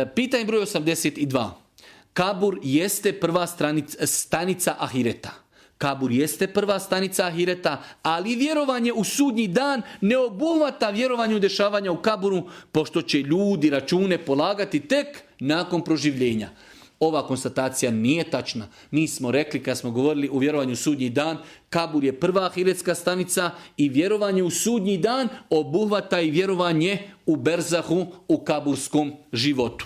Pitanje broj 82. Kabur jeste prva stanica ahireta. Kabur jeste prva stanica ahireta, ali vjerovanje u sudnji dan ne obuhvata vjerovanje u dešavanja u kaburu, pošto će ljudi račune polagati tek nakon proživljenja. Ova konstatacija nije tačna. Mi smo rekli kad smo govorili o vjerovanju u sudnji dan, kabur je prva ahiretska stanica i vjerovanje u sudnji dan obuhvata i vjerovanje u berzahu, u kaburskom životu.